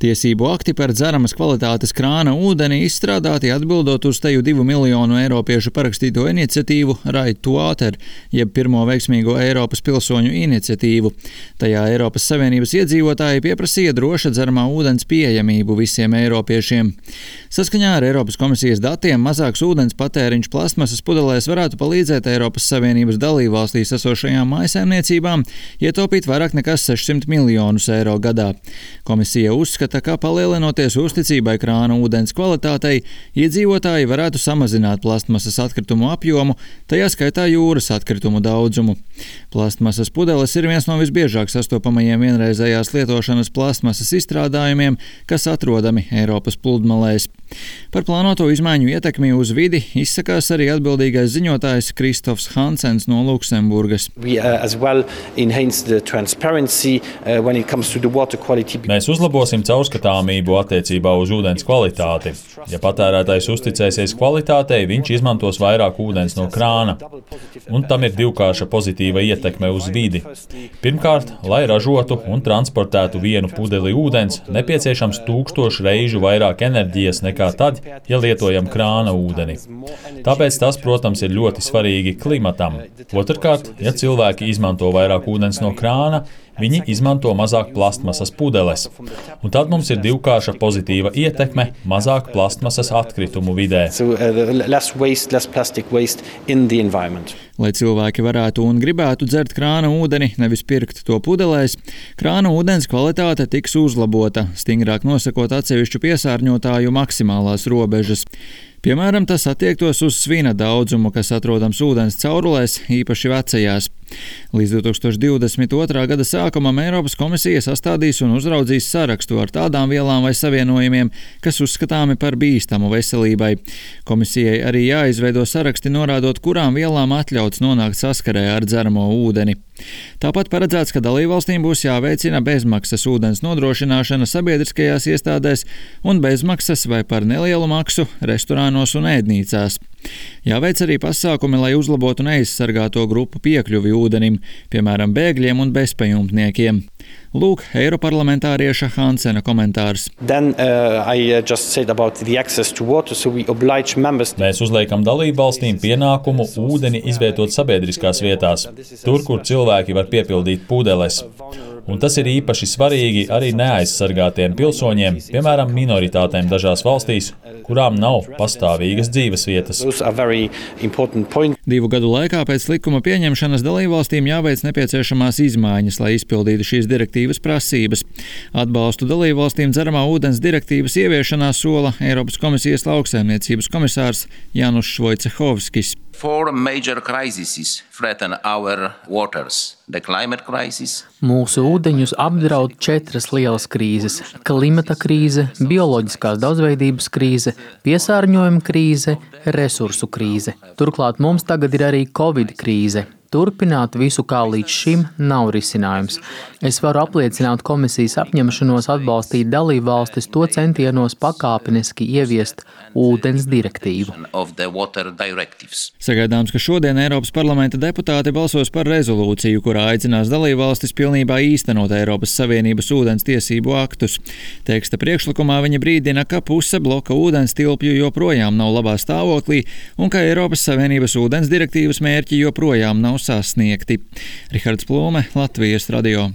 Tiesību akti par dzeramas kvalitātes krāna ūdeni izstrādāti atbildot uz teju 2 miljonu eiropiešu parakstīto iniciatīvu Right to Water, jeb pirmo veiksmīgo Eiropas pilsoņu iniciatīvu. Tajā Eiropas Savienības iedzīvotāji pieprasīja droša dzeramā ūdens pieejamību visiem eiropiešiem. Saskaņā ar Eiropas komisijas datiem mazāks ūdens patēriņš plastmasas pudelēs varētu palīdzēt Eiropas Savienības dalībvalstīs esošajām mājsaimniecībām ietaupīt vairāk nekā 600 miljonus eiro gadā. Komisija uzskata, ka palielinoties uzticībai krāna ūdens kvalitātei, iedzīvotāji varētu samazināt plastmasas atkritumu apjomu, tajā skaitā jūras atkritumu daudzumu. Plastmasas pudeles ir viens no visbiežāk sastopamajiem vienreizējās lietošanas plastmasas izstrādājumiem, kas atrodami Eiropas pludmalēs. Par plānoto izmaiņu ietekmi uz vidi izsakās arī atbildīgais ziņotājs Kristofs Hansens no Luksemburgas. Mēs uzlabosim caurskatāmību attiecībā uz ūdens kvalitāti. Ja patērētājs uzticēsies kvalitātei, viņš izmantos vairāk ūdens no krāna. Un tam ir divkārša pozitīva ietekme uz vidi. Pirmkārt, lai ražotu un transportētu vienu pudeli ūdens, nepieciešams 1000 reižu vairāk enerģijas nekā tad, ja lietojam krāna ūdeni. Tāpēc tas, protams, ir ļoti svarīgi klimatam. Otrkārt, ja cilvēki izmanto vairāk ūdens no krāna, viņi izmanto mazāk plastmasas pudeles. Un tad mums ir divkārša pozitīva ietekme – mazāk plastmasas atkritumu vidē. Lai cilvēki varētu un gribētu dzert krāna ūdeni, nevis pirkt to pudelēs, krāna ūdens kvalitāte tiks uzlabota, stingrāk nosakot atsevišķu piesārņotāju maksimālās robežas. Piemēram, tas attiektos uz svina daudzumu, kas atrodams ūdens caurulēs, īpaši vecajās. Līdz 2022. gada sākumam Eiropas komisija sastādīs un uzraudzīs sarakstu ar tādām vielām vai savienojumiem, kas uzskatāmi par bīstamu veselībai. Komisijai arī jāizveido saraksti, norādot, kurām vielām atļauts nonākt saskarē ar dzeramo ūdeni. Tāpat paredzēts, ka dalībvalstīm būs jāveicina bezmaksas ūdens nodrošināšana sabiedriskajās iestādēs un bezmaksas vai par nelielu maksu restorānos un ēdnīcās. Jāveic arī pasākumi, lai uzlabotu neaizsargāto grupu piekļuvi ūdenim, piemēram, bēgļiem un bezpajumtniekiem. Lūk, eiroparlamentārieša Hansena komentārs. Mēs uzliekam dalībvalstīm pienākumu ūdeni izvietot sabiedriskās vietās, tur, kur cilvēki var piepildīt pudeles. Un tas ir īpaši svarīgi arī neaizsargātiem pilsoņiem, piemēram, minoritātēm dažās valstīs, kurām nav pastāvīgas dzīvesvietas. 2 gadu laikā pēc likuma pieņemšanas dalībvalstīm jāveic nepieciešamās izmaiņas, lai izpildītu šīs direktīvas prasības. Atbalstu dalībvalstīm dzeramā ūdens direktīvas ieviešanā sola Eiropas komisijas lauksaimniecības komisārs Janušs Vojcehovskis. 4 major crises threaten our waters. The climate crisis. Mūsu ūdeņus apdraud 4 lielas krīzes – klimata krīze, bioloģiskās daudzveidības krīze, piesārņojuma krīze, resursu krīze. Turklāt mums tagad ir arī Covid krīze. Turpināt visu kā līdz šim nav risinājums. Es varu apliecināt komisijas apņemšanos atbalstīt dalībvalstis to centienos pakāpeniski ieviest ūdens direktīvu. Sagaidāms, ka šodien Eiropas parlamenta deputāti balsos par rezolūciju, kurā aicinās dalībvalstis pilnībā īstenot Eiropas Savienības ūdens tiesību aktus. Teksta priekšlikumā viņi brīdina, ka puse bloka ūdens tilpju joprojām nav labā stāvoklī un ka Eiropas Savienības ūdens direktīvas mērķi joprojām nav sasniegti. Rihards Plūme, Latvijas radio.